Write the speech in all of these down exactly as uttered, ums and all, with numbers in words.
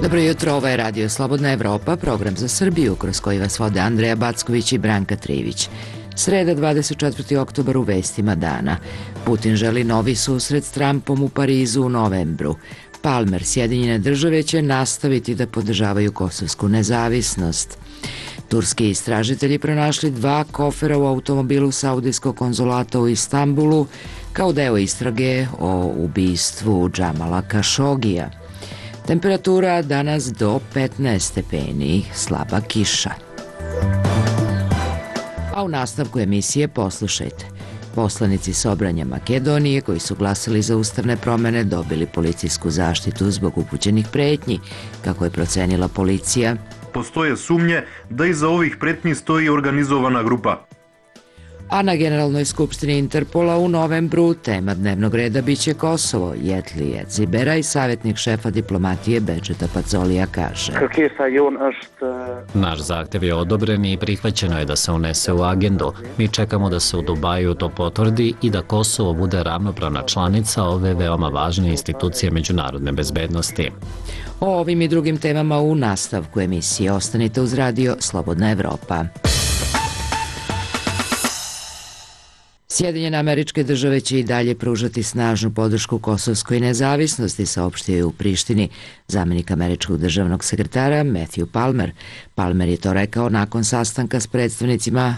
Dobro jutro, ovo je Radio Slobodna Evropa, program za Srbiju, kroz koji vas vode Andreja Backović i Branka Trivić. Sreda, dvadeset četvrti oktobar, u vestima dana. Putin želi novi susret s Trumpom u Parizu u novembru. Palmer, Sjedinjene države će nastaviti da podržavaju kosovsku nezavisnost. Turski istražitelji pronašli dva kofera u automobilu Saudijskog konzulata u Istanbulu kao deo istrage o ubistvu Džamala Kašogija. Temperatura danas do petnaest stepeni, slaba kiša. A u nastavku emisije poslušajte. Poslanici Sobranja Makedonije koji su glasali za ustavne promene dobili policijsku zaštitu zbog upućenih pretnji, kako je procenila policija. Postoje sumnje da iza ovih pretnji stoji organizovana grupa. A na Generalnoj skupštini Interpola u novembru tema dnevnog reda biće Kosovo. Jetli Edzibera i savjetnik šefa diplomatije Bedžeta Pacolija kaže: Naš zahtev je odobren i prihvaćeno je da se unese u agendu. Mi čekamo da se u Dubaju to potvrdi i da Kosovo bude ravnopravna članica ove veoma važne institucije međunarodne bezbednosti. O ovim i drugim temama u nastavku emisije. Ostanite uz Radio Slobodna Evropa. Sjedinjene Američke Države će i dalje pružati snažnu podršku kosovskoj nezavisnosti, saopštio je u Prištini zamenik američkog državnog sekretara Matthew Palmer. Palmer je to rekao nakon sastanka s predstavnicima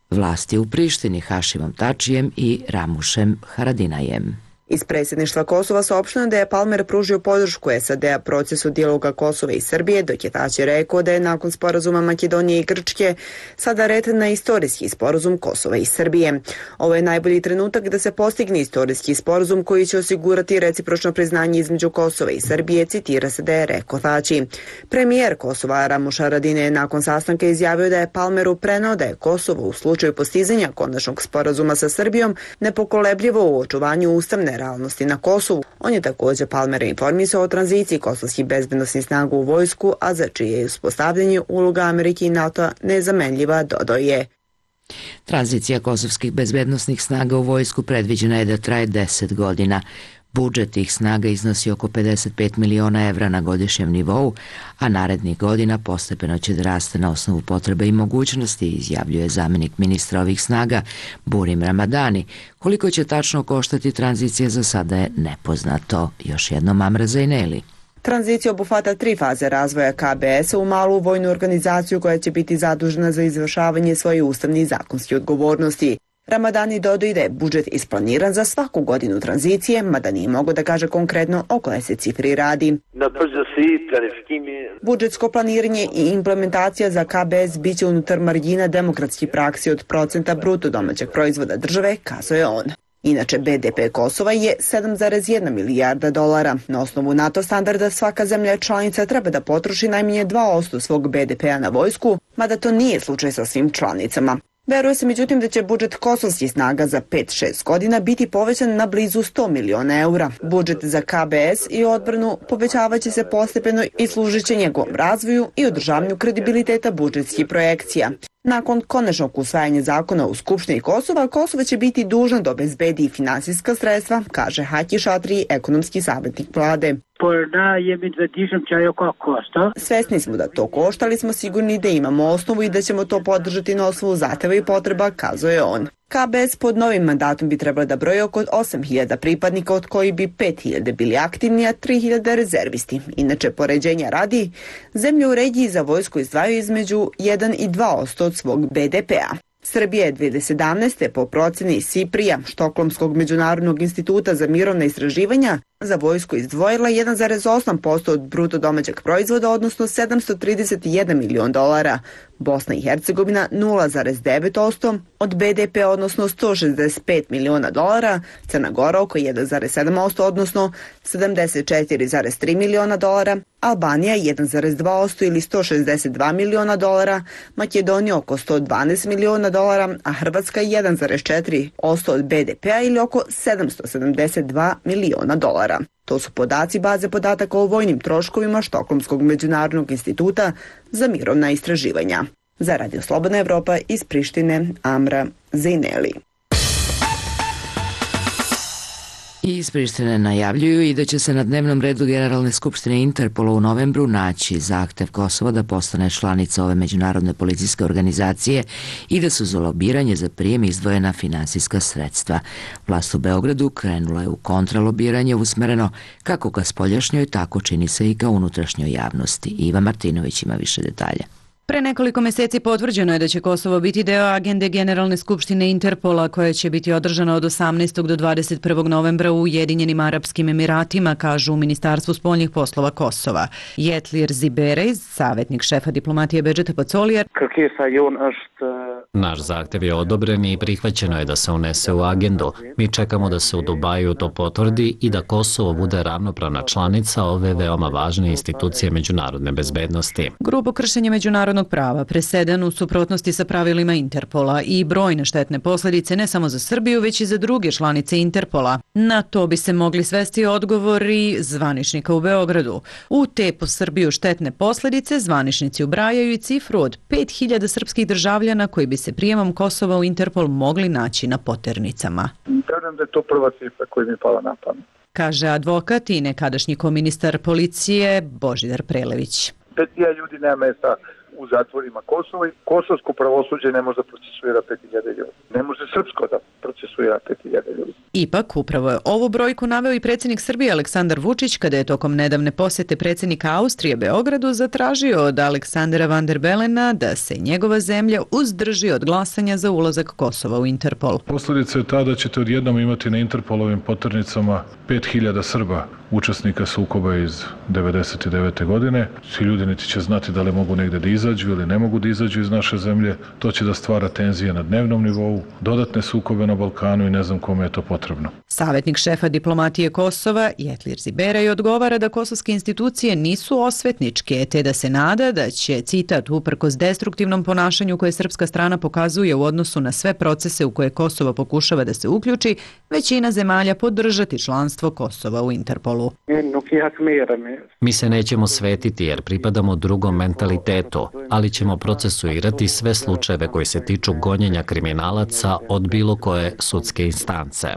vlasti u Prištini Hašimom Tačijem i Ramušem Haradinajem. Iz predsjedništva Kosova saopšteno da je Palmer pružio podršku S A D-a procesu dijaloga Kosova i Srbije, dok je Tači rekao da je nakon sporazuma Makedonije i Grčke sada red na istorijski sporazum Kosova i Srbije. Ovo je najbolji trenutak da se postigne istorijski sporazum koji će osigurati recipročno priznanje između Kosova i Srbije, citira se da je rekao Tači. Premijer Kosova Ramuš Haradinaj je nakon sastanka izjavio da je Palmeru preneo da je Kosovo u slučaju postizanja konačnog sporazuma sa Srbijom nepokolebljivo u očuvanju ustavne realnosti na Kosovu. On je također Palmera informisao o tranziciji kosovskih bezbednosnih snaga u vojsku, a za čije je uspostavljanje uloga Amerike i NATO nezamenljiva, dodao je. Tranzicija kosovskih bezbednosnih snaga u vojsku predviđena je da traje deset godina. Budžet tih snaga iznosi oko pedeset pet miliona evra na godišnjem nivou, a narednih godina postepeno će da raste na osnovu potrebe i mogućnosti, izjavljuje zamenik ministra ovih snaga Burim Ramadani. Koliko će tačno koštati tranzicija za sada je nepoznato. Još jednom Amra Zajneli. Tranzicija obuhvata tri faze razvoja K B S-a u malu vojnu organizaciju koja će biti zadužena za izvršavanje svoje ustavne i zakonske odgovornosti. Ramadani dodao da je budžet isplaniran za svaku godinu tranzicije, mada nije mogo da kaže konkretno o kojoj se cifri radi. Budžetsko planiranje i implementacija za K B S biće unutar margina demokratskih praksi od procenta bruto domaćeg proizvoda države, kazao je on. Inače, B D P Kosova je sedam zarez jedna milijarda dolara. Na osnovu NATO standarda svaka zemlja članica treba da potroši najmanje dva posto svog B D P-a na vojsku, mada to nije slučaj sa svim članicama. Veruje se međutim da će budžet kosovskih snaga za pet do šest godina biti povećan na blizu sto miliona eura. Budžet za K B S i odbranu povećavaće se postepeno i služit će njegovom razvoju i održavanju kredibiliteta budžetskih projekcija. Nakon konačnog usvajanja zakona u Skupštini Kosova, Kosovo će biti dužno da obezbedi finansijska sredstva, kaže Haki Šatri, ekonomski savjetnik vlade. Svesni smo da to košta, ali smo sigurni da imamo osnovu i da ćemo to podržati na osnovu zahteva i potreba, kazao je on. K B S pod novim mandatom bi trebalo da broji oko osam hiljada pripadnika, od koji bi pet hiljada bili aktivni, a tri hiljade rezervisti. Inače, poređenja radi, zemlje u regiji za vojsku izdvajaju između jedan i dva posto od svog B D P-a. Srbija je dve hiljade sedamnaeste. po proceni Siprija, Štokholmskog međunarodnog instituta za mirovna istraživanja, za vojsku izdvojila jedan zarez osam posto od bruto domaćeg proizvoda, odnosno sedamsto trideset jedan milion dolara. Bosna i Hercegovina nula zarez devet posto od B D P, odnosno sto šezdeset pet miliona dolara, Crna Gora oko jedan zarez sedam posto, odnosno sedamdeset četiri zarez tri miliona dolara, Albanija jedan zarez dva posto ili sto šezdeset dva miliona dolara, Makedonija oko sto dvanaest miliona dolara, a Hrvatska jedan zarez četiri posto od B D P-a ili oko sedamsto sedamdeset dva miliona dolara. To su podaci baze podataka o vojnim troškovima Štokholmskog međunarodnog instituta za mirovna istraživanja. Za Radio Slobodna Evropa iz Prištine, Amra Zajneli. I iz Prištine najavljuju i da će se na dnevnom redu Generalne skupštine Interpola u novembru naći zahtev Kosova da postane članica ove međunarodne policijske organizacije i da su za lobiranje za prijem izdvojena finansijska sredstva. Vlast u Beogradu krenula je u kontralobiranje usmereno kako ka spoljašnjoj, tako čini se i ka unutrašnjoj javnosti. Iva Martinović ima više detalja. Pre nekoliko meseci potvrđeno je da će Kosovo biti deo agende Generalne skupštine Interpola koja će biti održana od osamnaestog do dvadeset prvog novembra u Ujedinjenim Arapskim Emiratima, kažu u Ministarstvu spoljnih poslova Kosova. Jetlir Ziberej, savjetnik šefa diplomatije Bedžeta Pacolija, naš zahtev je odobren i prihvaćeno je da se unese u agendu. Mi čekamo da se u Dubaju to potvrdi i da Kosovo bude ravnopravna članica ove veoma važne institucije međunarodne bezbednosti. Grubo kršenje međunarodnog prava, presedan u suprotnosti sa pravilima Interpola i brojne štetne posljedice ne samo za Srbiju, već i za druge članice Interpola. Na to bi se mogli svesti odgovori zvaničnika u Beogradu. U te po Srbiju štetne posljedice zvaničnici ubrajaju i cifru od pet hiljada srpskih državljana koji bi se prijemom Kosova u Interpol mogli naći na poternicama. Kažem da je to prva cifra koja mi je pala na pamet, kaže advokat i nekadašnji koministar policije Božidar Prelević. Pet hiljada ljudi nema mesta u zatvorima Kosova i kosovsko pravosuđe ne može da procesuira pet hiljada ljudi. Ne može srpsko da procesuira pet hiljada ljudi. Ipak, upravo je ovu brojku naveo i predsjednik Srbije Aleksandar Vučić kada je tokom nedavne posjete predsjednika Austrije Beogradu zatražio od Aleksandra Van der Belena da se njegova zemlja uzdrži od glasanja za ulazak Kosova u Interpol. Posljedica je ta da ćete odjednom imati na Interpolovim poternicama pet hiljada Srba, učesnika sukoba iz devedeset devete. godine. Svi ljudi niti će znati da li mogu negde da izađu ili ne mogu da izađu iz naše zemlje. To će da stvara tenzije na dnevnom nivou, dodatne sukobe na Balkanu i ne znam kome je to potrebno. Savjetnik šefa diplomatije Kosova, Jetlir Ziberej, odgovara da kosovske institucije nisu osvetničke, te da se nada da će, citat, uprkos destruktivnom ponašanju koje srpska strana pokazuje u odnosu na sve procese u koje Kosovo pokušava da se uključi, većina zemalja podržati članstvo Kosova u Interpolu. Mi se nećemo svetiti jer pripadamo drugom mentalitetu, ali ćemo procesuirati sve slučajeve koji se tiču gonjenja kriminalaca od bilo koje sudske instance.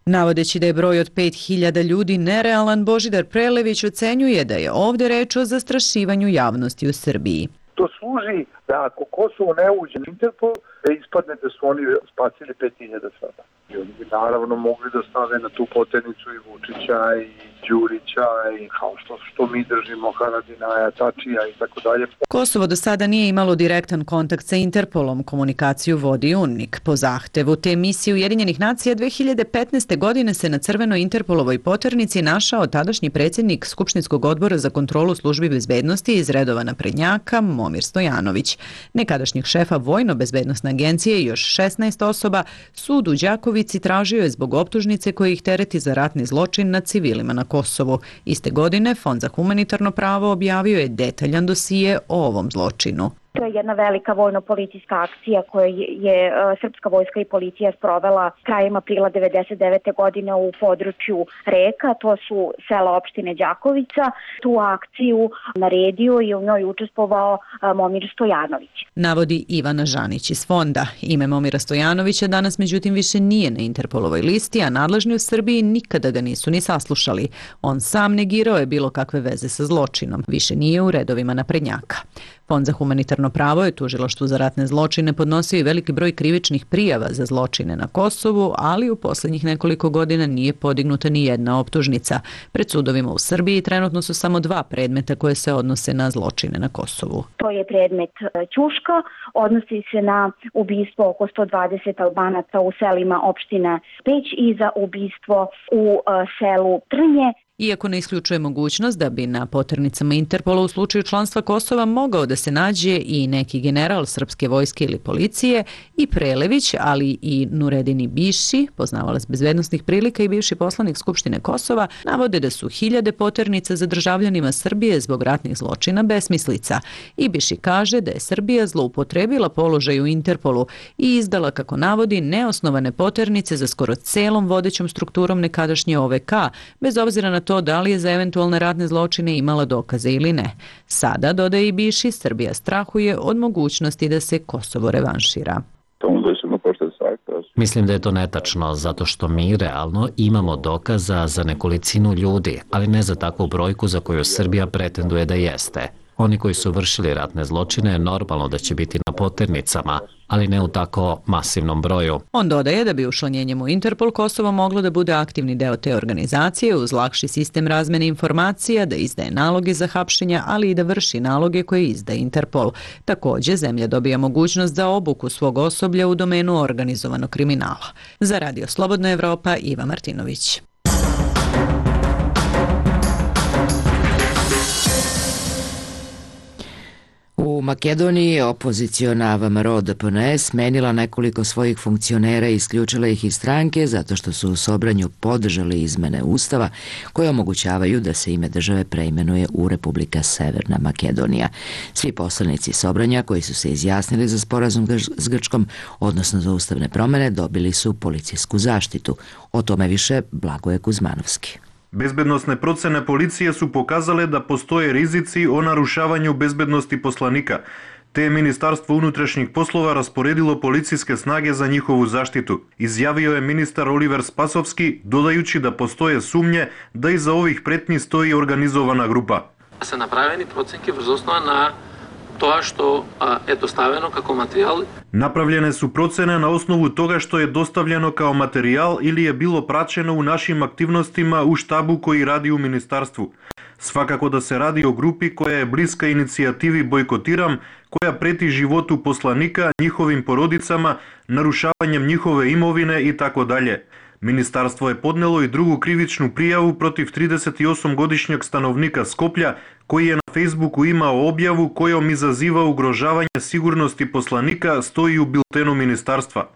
Navodeći da je broj od pet hiljada ljudi nerealan, Božidar Prelević ocenjuje da je ovdje reč o zastrašivanju javnosti u Srbiji. To služi da ako Kosovo ne uđe u Interpol, da ispadne da su oni spasili pet hiljada Srba. I oni bi naravno mogli da stave na tu poternicu i Vučića i Đurića i kao što, što mi držimo Haradinaja, Tačija i tako dalje. Kosovo do sada nije imalo direktan kontakt sa Interpolom, komunikaciju vodi UNMIK. Po zahtevu te misije Ujedinjenih nacija dve hiljade petnaeste. godine se na crvenoj Interpolovoj poternici našao tadašnji predsjednik Skupštinskog odbora za kontrolu službi bezbednosti iz redova naprednjaka Momir Stojanović. Nekadašnjih šefa Vojno-bezbednosne agencije i još šesnaest osoba sud u Đakovici tražio je zbog optužnice koje ih tereti za ratni zločin nad civilima na Kosovu. Iste godine Fond za humanitarno pravo objavio je detaljan dosije o ovom zločinu. To je jedna velika vojno-policijska akcija koju je srpska vojska i policija sprovela krajem aprila devedeset devete. godine u području Reka, to su sela opštine Đakovica. Tu akciju naredio i u njoj učestvovao Momir Stojanović. Navodi Ivana Žanić iz fonda. Ime Momira Stojanovića danas međutim više nije na Interpolovoj listi, a nadležni u Srbiji nikada ga nisu ni saslušali. On sam negirao je bilo kakve veze sa zločinom. Više nije u redovima naprednjaka. Fond za humanitarno pravo je tužilaštvu za ratne zločine podnosio i veliki broj krivičnih prijava za zločine na Kosovu, ali u posljednjih nekoliko godina nije podignuta ni jedna optužnica. Pred sudovima u Srbiji trenutno su samo dva predmeta koje se odnose na zločine na Kosovu. To je predmet Ćuška, odnosi se na ubistvo oko sto dvadeset Albanaca u selima opštine Peć i za ubistvo u selu Trnje. Iako ne isključuje mogućnost da bi na poternicama Interpola u slučaju članstva Kosova mogao da se nađe i neki general srpske vojske ili policije, i Prelević, ali i Nuredini Biši, poznavalac bezbednosnih prilika i bivši poslanik Skupštine Kosova, navode da su hiljade poternica za državljanima Srbije zbog ratnih zločina besmislica. I Biši kaže da je Srbija zloupotrebila položaj u Interpolu i izdala, kako navodi, neosnovane poternice za skoro celom vodećom strukturom nekadašnje O V K, bez obzira na to to da li je za eventualne ratne zločine imala dokaze ili ne. Sada, dodaje i Biši, Srbija strahuje od mogućnosti da se Kosovo revanšira. Mi Mislim da je to netačno, zato što mi realno imamo dokaza za nekolicinu ljudi, ali ne za takvu brojku za koju Srbija pretenduje da jeste. Oni koji su vršili ratne zločine, normalno da će biti na poternicama, ali ne u tako masivnom broju. On dodaje da bi učlanjenjem u Interpol Kosovo moglo da bude aktivni deo te organizacije uz lakši sistem razmene informacija, da izdaje naloge za hapšenja, ali i da vrši naloge koje izdaje Interpol. Takođe, zemlja dobija mogućnost za obuku svog osoblja u domenu organizovanog kriminala. Za Radio Slobodna Evropa, Iva Martinović. U Makedoniji opoziciona V M R O D P N E smenila nekoliko svojih funkcionera i isključila ih iz stranke zato što su u Sobranju podržali izmene Ustava koje omogućavaju da se ime države preimenuje u Republika Severna Makedonija. Svi poslanici Sobranja koji su se izjasnili za sporazum s Grčkom, odnosno za ustavne promene, dobili su policijsku zaštitu. O tome više Blagoje Kuzmanovski. Bezbednosne procene policije su pokazale da postoje rizici o narušavanju bezbednosti poslanika, te je Ministarstvo unutrašnjih poslova rasporedilo policijske snage za njihovu zaštitu. Izjavio je ministar Oliver Spasovski, dodajući da postoje sumnje da iza ovih pretnji stoji organizovana grupa. Са направени проценки врз основа на тоа што е доставено како материјал. Направljene su procene na osnovu toga što je dostavljeno kao materijal ili je bilo praćeno u našim aktivnostima u štabu koji radi u ministarstvu. Svakako da se radi o grupi koja je bliska inicijativi Bojkotiram, koja preti životu poslanika, njihovim porodicama, narušavanjem njihove imovine i tako dalje. Ministarstvo je podnelo i drugu krivičnu prijavu protiv tridesetosmogodišnjeg stanovnika Skoplja, koji je na Facebooku imao objavu kojom izaziva ugrožavanje sigurnosti poslanika, stoji u biltenu ministarstva.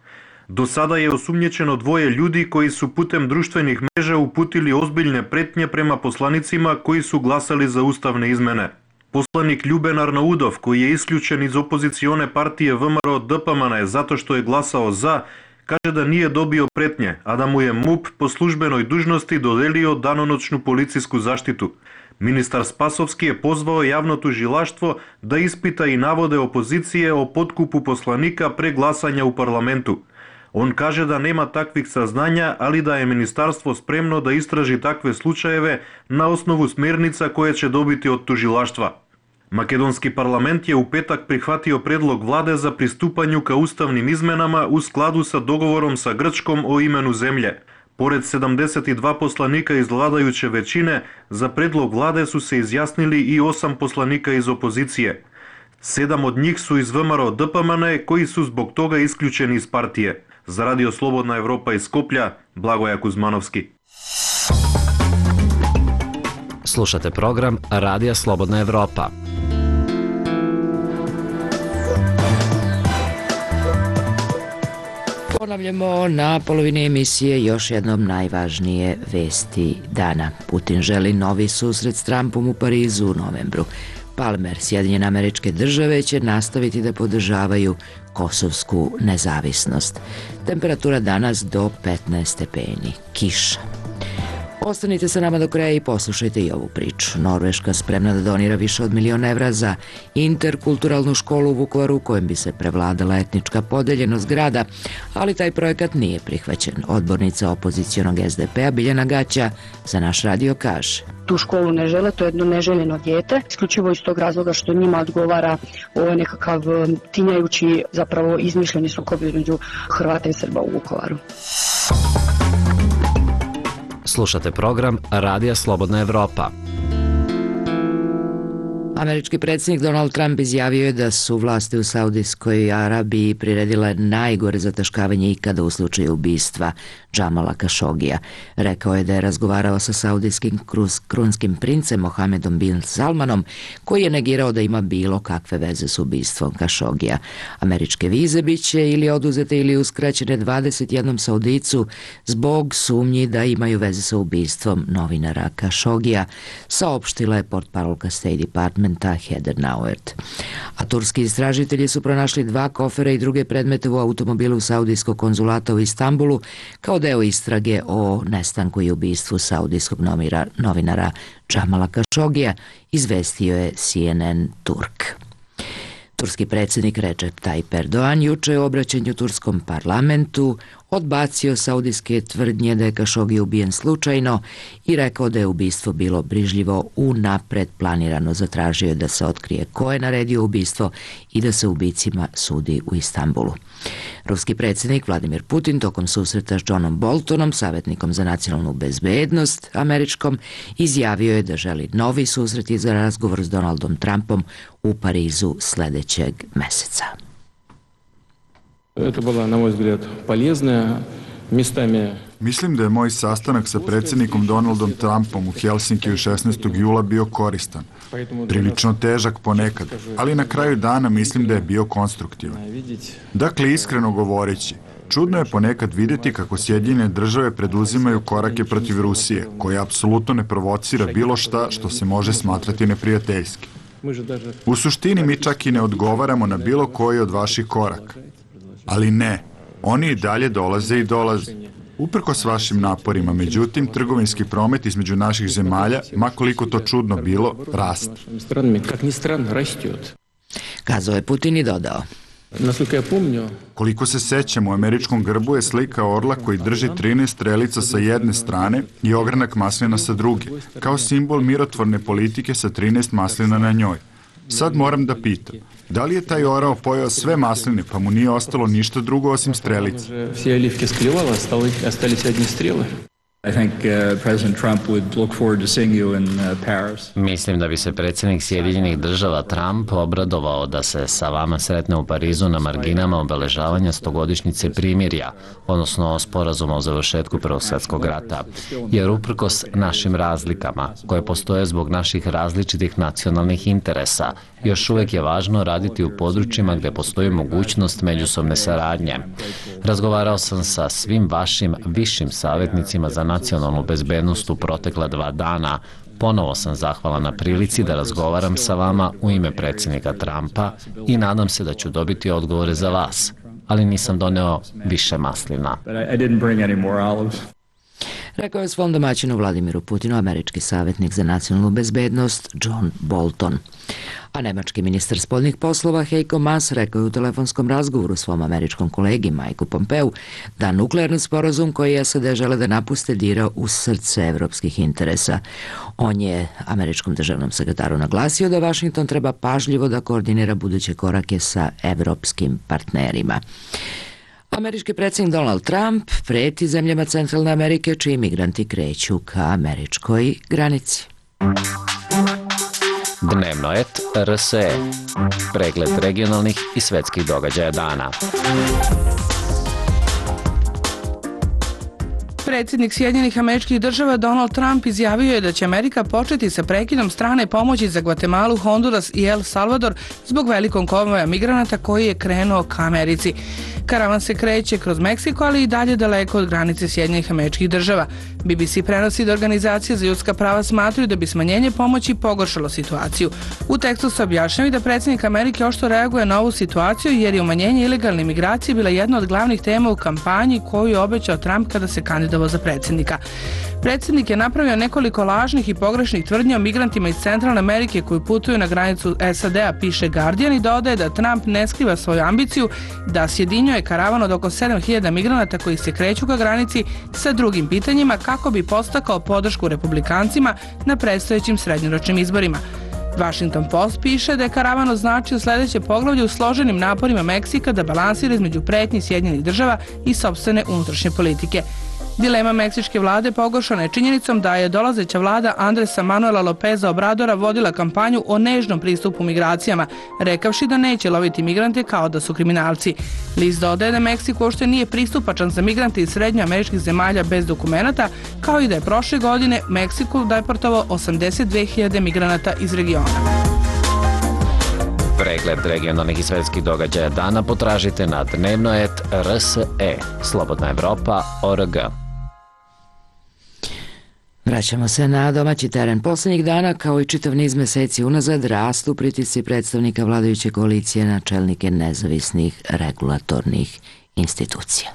Do sada je osumnjičeno dvoje ljudi koji su putem društvenih mreža uputili ozbiljne pretnje prema poslanicima koji su glasali za ustavne izmene. Poslanik Ljuben Arnaudov, koji je isključen iz opozicione partije V M R O D P M N E zato što je glasao za, kaže da nije dobio pretnje, a da mu je M U P po službenoj dužnosti dodelio danonoćnu policijsku zaštitu. Ministar Spasovski je pozvao javno tužilaštvo da ispita i navode opozicije o potkupu poslanika pre glasanja u parlamentu. On kaže da nema takvih saznanja, ali da je ministarstvo spremno da istraži takve slučajeve na osnovu smernica koje će dobiti od tužilaštva. Makedonski parlament je u petak prihvatio predlog vlade za pristupanju ka ustavnim izmenama u skladu sa dogovorom sa Grčkom o imenu zemlje. Pored sedamdeset dva poslanika iz vladajuće većine, za predlog vlade su se izjasnili i osam poslanika iz opozicije. Sedam od njih su iz V M R O D P M N E koji su zbog toga isključeni iz partije. Za Radio Slobodna Evropa iz Skoplja, Blagoje Kuzmanovski. Slušate program Radija Slobodna Evropa. Ponavljamo na polovini emisije još jednom najvažnije vesti dana. Putin želi novi susret s Trumpom u Parizu u novembru. Palmer, Sjedinjene Američke Države će nastaviti da podržavaju kosovsku nezavisnost. Temperatura danas do petnaest stepeni. Kiša. Ostanite sa nama do kraja i poslušajte i ovu priču. Norveška spremna da donira više od miliona evra za interkulturalnu školu u Vukovaru u kojem bi se prevladala etnička podeljenost grada, ali taj projekat nije prihvaćen. Odbornica opozicionog S D P-a Biljana Gaća za naš radio kaže. Tu školu ne žele, to je jedno neželjeno dijete, isključivo iz tog razloga što njima odgovara ovaj nekakav tinjajući, zapravo izmišljeni sukob između Hrvata i Srba u Vukovaru. Slušate program Radija Slobodna Evropa. Američki predsjednik Donald Trump izjavio je da su vlasti u Saudijskoj Arabiji priredile najgore zataškavanje ikada u slučaju ubistva Džamala Kašogija. Rekao je da je razgovarao sa saudijskim krunskim princem Mohamedom bin Salmanom, koji je negirao da ima bilo kakve veze s ubistvom Kašogija. Američke vize biće ili oduzete ili uskraćene dvadeset jednom Saudijicu zbog sumnji da imaju veze sa ubistvom novinara Kašogija, saopštila je portparolka State Department Heather Nauert. A turski istražitelji su pronašli dva kofera i druge predmete u automobilu saudijskog konzulata u Istanbulu kao deo istrage o nestanku i ubistvu saudijskog novinara Džamala Kašogija, izvestio je C N N Turk. Turski predsjednik Recep Tayyip Erdogan juče u obraćanju turskom parlamentu odbacio saudijske tvrdnje da je Kašogi ubijen slučajno i rekao da je ubistvo bilo brižljivo unapred planirano. Zatražio je da se otkrije ko je naredio ubistvo i da se ubicima sudi u Istanbulu. Ruski predsjednik Vladimir Putin tokom susreta s Johnom Boltonom, savjetnikom za nacionalnu bezbednost američkom, izjavio je da želi novi susret i za razgovor s Donaldom Trumpom u Parizu sljedećeg meseca. Это была, на мой взгляд, полезная, местами... Mislim da je moj sastanak sa predsjednikom Donaldom Trumpom u Helsinkiju šesnaestog jula bio koristan. Prilično težak ponekad, ali na kraju dana mislim da je bio konstruktivan. Dakle, iskreno govoreći, čudno je ponekad vidjeti kako Sjedinjene države preduzimaju korake protiv Rusije, koja apsolutno ne provocira bilo šta što se može smatrati neprijateljski. U suštini mi čak i ne odgovaramo na bilo koji od vaših koraka. Ali ne, oni i dalje dolaze i dolaze. Uprkos vašim naporima, međutim, trgovinski promet između naših zemalja, makoliko to čudno bilo, raste. Kazao je Putin i dodao. Koliko se sećamo, u američkom grbu je slika orla koji drži trinaest strelica sa jedne strane i ogranak maslina sa druge, kao simbol mirotvorne politike sa trinaest maslina na njoj. Sad moram da pitam, da li je taj orao pojeo sve masline, pa mu nije ostalo ništa drugo osim strelica? Mislim da bi se predsjednik Sjedinjenih država Trump obradovao da se sa vama sretne u Parizu na marginama obeležavanja stogodišnjice primirja, odnosno sporazuma o završetku Prvog svjetskog rata, jer uprkos našim razlikama, koje postoje zbog naših različitih nacionalnih interesa, još uvijek je važno raditi u područjima gdje postoji mogućnost međusobne saradnje. Razgovarao sam sa svim vašim višim savjetnicima za nacionalnu bezbednost u protekla dva dana. Ponovo sam zahvalan na prilici da razgovaram sa vama u ime predsjednika Trumpa i nadam se da ću dobiti odgovore za vas, ali nisam doneo više maslina. Rekao je svom domaćinu Vladimiru Putinu američki savjetnik za nacionalnu bezbednost John Bolton. A nemački ministar spoljnih poslova Heiko Maas rekao je u telefonskom razgovoru svom američkom kolegi Majku Pompeu da nuklearni sporazum koji S A D žele da napuste dira u srce evropskih interesa. On je američkom državnom sekretaru naglasio da Washington treba pažljivo da koordinira buduće korake sa evropskim partnerima. Američki predsjednik Donald Trump preti zemljama Centralne Amerike čiji migranti kreću ka američkoj granici. Dnevno et R S E. Pregled regionalnih i svetskih događaja dana. Predsjednik Sjedinjenih Američkih Država Donald Trump izjavio je da će Amerika početi sa prekidom strane pomoći za Gvatemalu, Honduras i El Salvador zbog velikog konvoja migranata koji je krenuo ka Americi. Karavan se kreće kroz Meksiko, ali i dalje daleko od granice Sjedinjenih Američkih Država. B B C prenosi da organizacije za ljudska prava smatraju da bi smanjenje pomoći pogoršalo situaciju. U tekstu se objašnjava da predsjednik Amerike oštro reaguje na ovu situaciju jer je umanjenje ilegalne migracije bila jedna od glavnih tema u kampanji koju je obećao Trump kada se kandidovao za predsjednika. Predsjednik je napravio nekoliko lažnih i pogrešnih tvrdnji o migrantima iz Centralne Amerike koji putuju na granicu S A D-a, piše Guardian, i dodaje da Trump ne skriva svoju ambiciju da sjedinjuje karavan od oko sedam hiljada migranata koji se kreću ka granici sa drugim pitanjima kako bi podstakao podršku republikancima na predstojećim srednjoročnim izborima. Washington Post piše da je karavan označio sljedeće poglavlje u složenim naporima Meksika da balansira između pretnji Sjedinjenih država i sopstvene unutrašnje politike. Dilema meksičke vlade pogoršana je činjenicom da je dolazeća vlada Andresa Manuela Lopeza Obradora vodila kampanju o nežnom pristupu migracijama, rekavši da neće loviti migrante kao da su kriminalci. List dodaje da Meksiko uopšte nije pristupačan za migrante iz srednjoameričkih zemalja bez dokumenata, kao i da je prošle godine Meksiku deportovao osamdeset dve hiljade migranata iz regiona. Pregled regionalnih i svetskih događaja dana potražite na dnevno et R S E. Slobodna Evropa точка O R G. Vraćamo se na domaći teren. Posljednjih dana, kao i čitav niz meseci unazad, rastu pritisci predstavnika vladajuće koalicije na čelnike nezavisnih regulatornih institucija.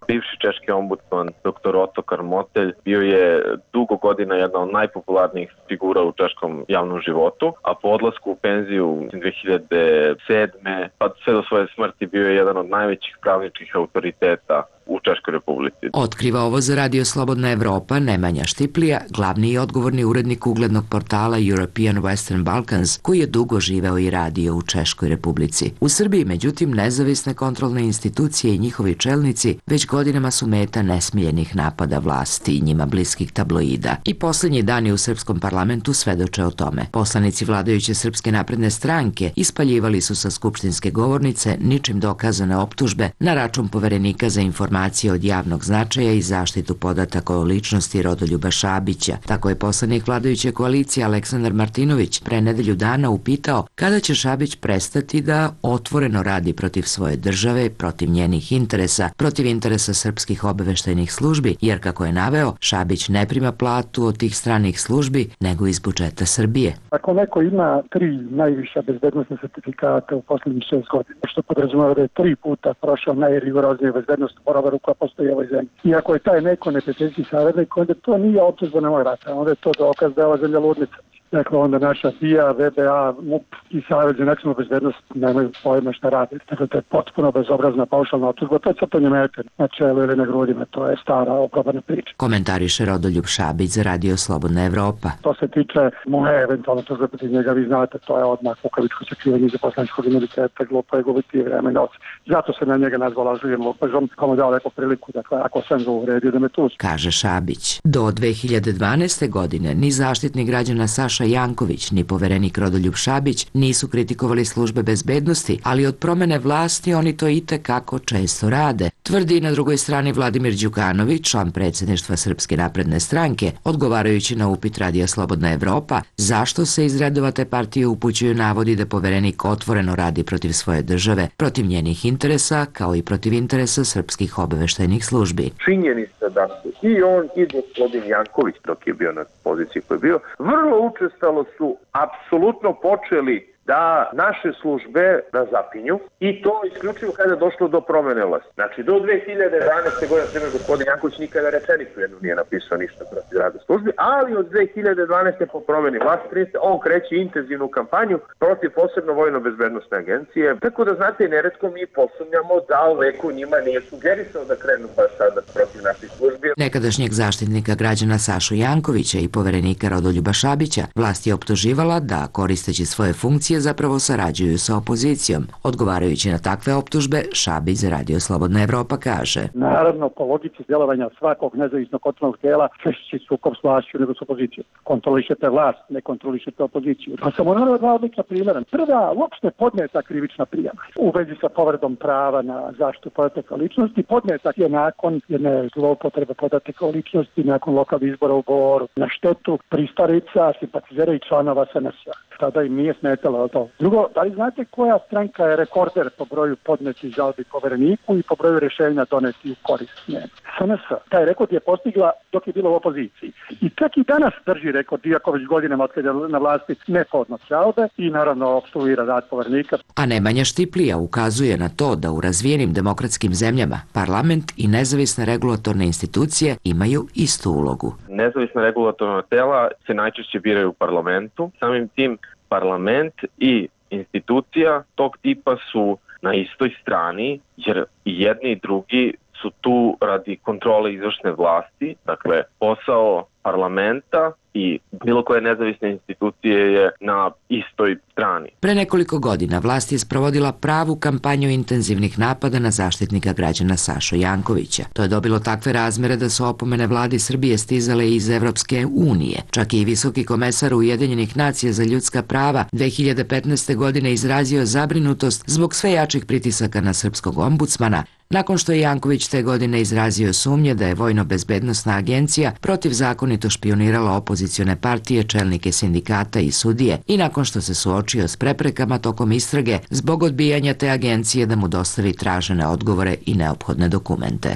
Bivši češki ombudsman doktor Ottokar Motelj bio je dugo godina jedna od najpopularnijih figura u češkom javnom životu, a po odlasku u penziju dve hiljade sedme pa sve do svoje smrti bio je jedan od najvećih pravničkih autoriteta u Češkoj Republici. Otkriva ovo za Radio Slobodna Evropa Nemanja Štiplija, glavni i odgovorni urednik uglednog portala European Western Balkans, koji je dugo živeo i radio u Češkoj Republici. U Srbiji, međutim, nezavisne kontrolne institucije i njihovi čelnici već godinama su meta nesmiljenih napada vlasti i njima bliskih tabloida. I posljednji dani u srpskom parlamentu svedoče o tome. Poslanici vladajuće Srpske napredne stranke ispaljivali su sa skupštinske govornice ničim dokazane optužbe na račun poverenika za informacije od javnog značaja i zaštitu podataka o ličnosti Rodoljuba Šabića. Tako je poslanik vladajuće koalicije Aleksandar Martinović pre nedelju dana upitao kada će Šabić prestati da otvoreno radi protiv svoje države, protiv njenih interesa, protiv interesa srpskih obaveštajnih službi, jer kako je naveo, Šabić ne prima platu od tih stranih službi, nego iz budžeta Srbije. Ako neko ima tri najviša bezbednostne sertifikata u poslednjih šest godina, što podrazumeva da je tri puta prošao najrigoroznije bezbednost proveru koja postoji u ovoj zemlji. I ako je taj neko neprijateljski saradnik, onda to nije optužba na moj rata, onda je to dokaz da je ova zemlja ludnica. Dakle, onda naša B I A, V B A, M U P i Savez za nacionalnu bezbednost nemaju pojma šta radi. Dakle, to je potpuno bezobrazna paušalna optužba. To je crtanje mete na čelu ili na grudima. To je stara oprobana priča. Komentariše Rodoljub Šabić za Radio Slobodna Evropa. To se tiče moje eventualno tužbe protiv njega, vi znate, to je odmah kukavičko sakrivanje za poslaničkog imuniteta, glupo je gubiti vreme i noć. Zato se na njega nazvala živim lupežom, komu dao lepo priliku, dakle, ako sam ga uvredio da me tuži. Kaže Šabić. Do dve hiljade dvanaeste. godine ni Zaštitnik građana Saša Janković ni poverenik Rodoljub Šabić nisu kritikovali službe bezbednosti, ali od promene vlasti oni to itekako često rade. Tvrdi na drugoj strani Vladimir Đukanović, član predsjedništva Srpske napredne stranke, odgovarajući na upit Radija Slobodna Evropa zašto se iz redova te partije upućuju navodi da poverenik otvoreno radi protiv svoje države, protiv njenih interesa, kao i protiv interesa srpskih obaveštajnih službi. Činjenica da su i on i gospodin Janković, dok je bio na poziciji koji je bio, vrlo učestalo su apsolutno počeli da naše službe razapinju i to isključivo kada je došlo do promene vlasti. Znači, do dve hiljade jedanaeste. godine, primjer, gospodin Janković nikada rečenicu jednu nije napisao ništa protiv rada službi, ali od dve hiljade dvanaeste. po promeni vlasti on kreće intenzivnu kampanju protiv posebno vojno-bezbednostne agencije. Tako da, znate, neretko mi posumnjamo da neko njima nije sugerisao da krenu baš sada protiv naših službi. Nekadašnjeg zaštitnika građana Sašu Jankovića i poverenika Rodoljuba Šabića vlast je optuživala da, koristeći svoje funkcije, zapravo sarađuju sa opozicijom. Odgovarajući na takve optužbe, Šabić za Radio Slobodna Evropa kaže: Naravno, po logici djelovanja svakog nezavisnog kontrolnog tijela, češći sukob s vlašću nego s opozicijom. Kontrolišete vlast, ne kontrolišete opoziciju. Pa samo naravno dva odlična primjera. Prva, uopšte podneta krivična prijava u vezi sa povredom prava na zaštitu podataka o ličnosti. Podneta je nakon jedne zloupotrebe podataka o ličnosti, nakon lokalnih izbora u Boru, na štetu pristarica, simpatizera i članova S N S-a. Tada im nije smetalo to. Drugo, da li znate koja stranka je rekorder po broju podnetih žalbi povereniku i po broju rješenja doneti u korist njega? S N S. Taj rekord je postigla dok je bila u opoziciji. I čak i danas drži rekord, iako već godinama otkada je na vlasti ne podnosi žalbe i naravno opstruira rad poverenika. A Nemanja Štiplija ukazuje na to da u razvijenim demokratskim zemljama parlament i nezavisne regulatorne institucije imaju istu ulogu. Nezavisna regulatorna tela se najčešće biraju u parlamentu. Samim tim parlament i institucija tog tipa su na istoj strani, jer i jedni i drugi su tu radi kontrole izvršne vlasti. Dakle, posao parlamenta i bilo koje nezavisne institucije je na istoj strani. Pre nekoliko godina vlast je sprovodila pravu kampanju intenzivnih napada na zaštitnika građana Sašu Jankovića. To je dobilo takve razmere da su opomene vladi Srbije stizale iz Evropske unije. Čak i visoki komesar Ujedinjenih nacija za ljudska prava dve hiljade petnaeste. godine izrazio zabrinutost zbog sve jačih pritisaka na srpskog ombudsmana, nakon što je Janković te godine izrazio sumnje da je Vojno-bezbednosna agencija protivzakonito špionirala opozicione partije, čelnike sindikata i sudije i nakon što se suočio s preprekama tokom istrage zbog odbijanja te agencije da mu dostavi tražene odgovore i neophodne dokumente.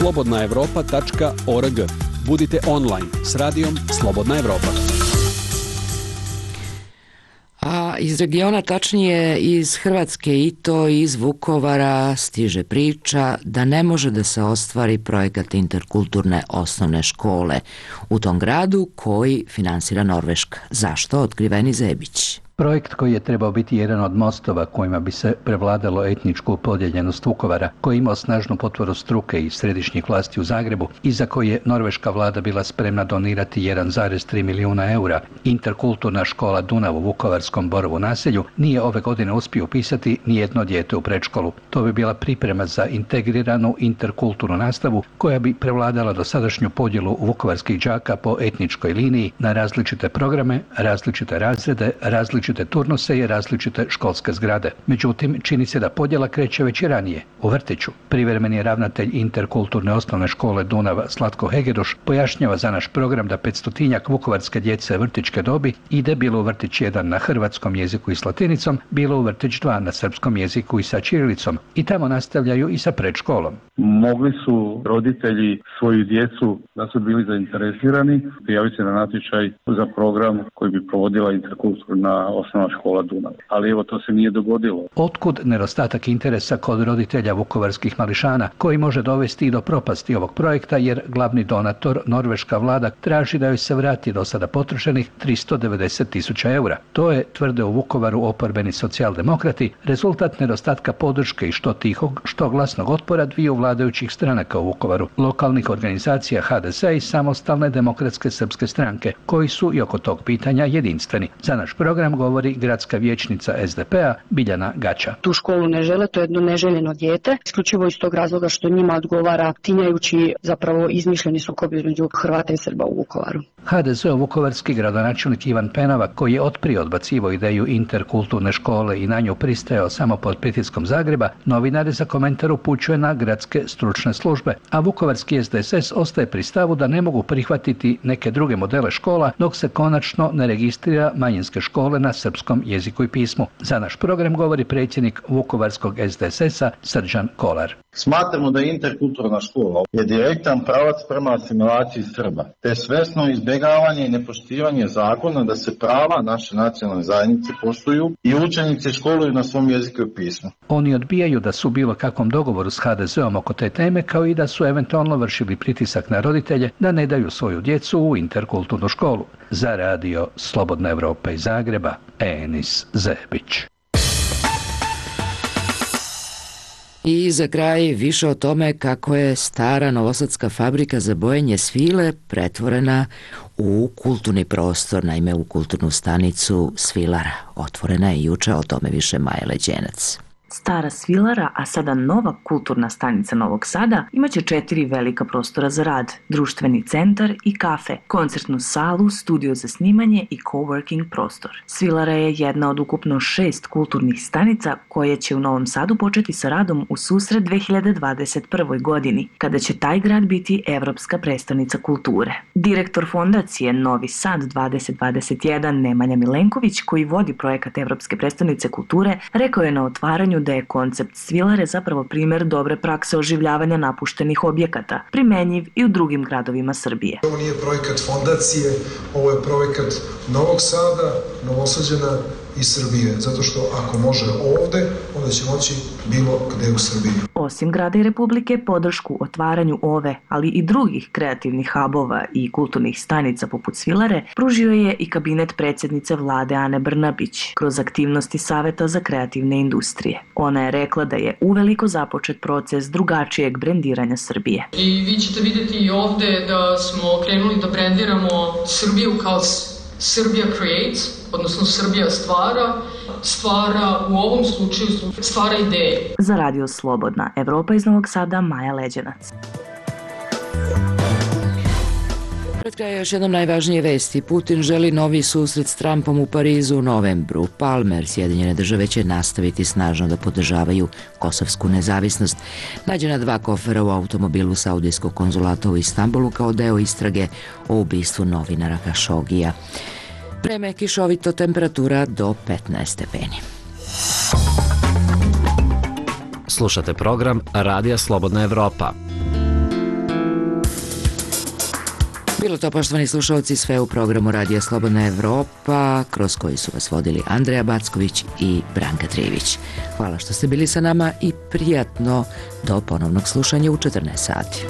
slobodna evropa tačka org. Budite online s radijom Slobodna Evropa. A A iz regiona, tačnije iz Hrvatske i to iz Vukovara, stiže priča da ne može da se ostvari projekat interkulturne osnovne škole u tom gradu koji finansira Norveška. Zašto? Otkriveni Zebić. Projekt koji je trebao biti jedan od mostova kojima bi se prevladalo etničku podijeljenost Vukovara, koji je imao snažnu potporu struke i središnjih vlasti u Zagrebu i za koji je norveška vlada bila spremna donirati jedan zarez tri milijuna eura, interkulturna škola Dunav u vukovarskom Borovu naselju nije ove godine uspio upisati ni jedno dijete u predškolu. To bi bila priprema za integriranu interkulturnu nastavu koja bi prevladala dosadašnju podjelu vukovarskih đaka po etničkoj liniji na različite programe, različite razrede, različite različite turnuse i različite školske zgrade. Međutim, čini se da podjela kreće već i ranije, u vrtiću. Privremeni ravnatelj interkulturne osnovne škole Dunav Slatko Hegeruš pojašnjava za naš program da petstotinjak vukovarske djece vrtićke dobi ide bilo u vrtić jedan na hrvatskom jeziku i s latinicom, bilo u vrtić dva na srpskom jeziku i sa ćirilicom i tamo nastavljaju i sa predškolom. Mogli su roditelji svoju djecu, da su bili zainteresirani, prijaviti se na natječaj za program koji bi provodila interkulturna osnovna škola Dunav. Ali evo, to se nije dogodilo. Otkud nedostatak interesa kod roditelja vukovarskih mališana, koji može dovesti i do propasti ovog projekta, jer glavni donator, norveška vlada, traži da joj se vrati do sada potrošenih tristo devedeset tisuća eura. To je, tvrde u Vukovaru oporbeni socijaldemokrati, rezultat nedostatka podrške i što tihog, što glasnog otpora dviju vladajućih stranaka u Vukovaru, lokalnih organizacija ha de es i samostalne demokratske srpske stranke, koji su i oko tog pitanja jedinstveni. Za naš program govori gradska vijećnica es de pe a Biljana Gača. Tu školu ne žele, to je jedno neželjeno dijete, isključivo iz tog razloga što njima odgovara tinjajući zapravo izmišljeni sukob između Hrvata i Srba u Vukovaru. ha de es-ov vukovarski gradonačelnik Ivan Penava, koji je otprije odbacivao ideju interkulturne škole i na nju pristajao samo pod pritiskom Zagreba, novinare za komentar upućuje na gradske stručne službe, a vukovarski es de es es ostaje pri stavu da ne mogu prihvatiti neke druge modele škola dok se konačno ne registrira manjinske škole na srpskom jeziku i pismu. Za naš program govori predsjednik vukovarskog es de es es-a Srđan Kolar. Smatramo da interkulturna škola je direktan pravac prema asimilaciji Srba, te svesno izbjegavanje i nepoštivanje zakona da se prava naše nacionalne zajednice poštuju i učenici školuju na svom jeziku i pismu. Oni odbijaju da su u bilo kakvom dogovoru s ha de es-om oko te teme, kao i da su eventualno vršili pritisak na roditelje da ne daju svoju djecu u interkulturnu školu. Za radio Slobodna Evropa iz Zagreba, Enis Zebić. I za kraj više o tome kako je stara novosadska fabrika za bojenje svile pretvorena u kulturni prostor, naime u kulturnu stanicu Svilara. Otvorena je juče, o tome više Maja Leđenac. Stara Svilara, a sada nova kulturna stanica Novog Sada, imaće četiri velika prostora za rad, društveni centar i kafe, koncertnu salu, studio za snimanje i coworking prostor. Svilara je jedna od ukupno šest kulturnih stanica koje će u Novom Sadu početi sa radom u susret dve hiljade dvadeset prve. godini, kada će taj grad biti Evropska prestonica kulture. Direktor fondacije Novi Sad dvadeset dvadeset jedan Nemanja Milenković, koji vodi projekat Evropske prestonice kulture, rekao je na otvaranju da je koncept Svilare zapravo primjer dobre prakse oživljavanja napuštenih objekata, primenjiv i u drugim gradovima Srbije. Ovo nije projekat fondacije, ovo je projekat Novog Sada, Novosađana i Srbije, zato što ako može ovde, onda će moći bilo gde u Srbiji. Osim grada i Republike, podršku otvaranju ove, ali i drugih kreativnih hubova i kulturnih stanica poput Svilare, pružio je i kabinet predsjednice vlade Ane Brnabić kroz aktivnosti Saveta za kreativne industrije. Ona je rekla da je uveliko započet proces drugačijeg brendiranja Srbije. I vi ćete vidjeti i ovde da smo krenuli da brendiramo Srbiju kao Serbia Creates, odnosno Srbija stvara, stvara u ovom slučaju stvara ideje. Za radio Slobodna Evropa iz Novog Sada, Maja Leđenac. Pred kraj još jednom najvažnije vesti. Putin želi novi susret s Trumpom u Parizu u novembru. Palmer, Sjedinjene države će nastaviti snažno da podržavaju kosovsku nezavisnost. Nađena dva kofera u automobilu Saudijskog konzulata u Istanbulu kao deo istrage o ubistvu novinara Kašogija. Vreme kišovito, temperatura do petnaest stepeni. Slušate program Radija Slobodna Evropa. Bilo to, poštovani slušalci, sve u programu Radija Slobodna Evropa, kroz koji su vas vodili Andreja Backović i Branka Trivić. Hvala što ste bili sa nama i prijatno do ponovnog slušanja u četrnaest sati.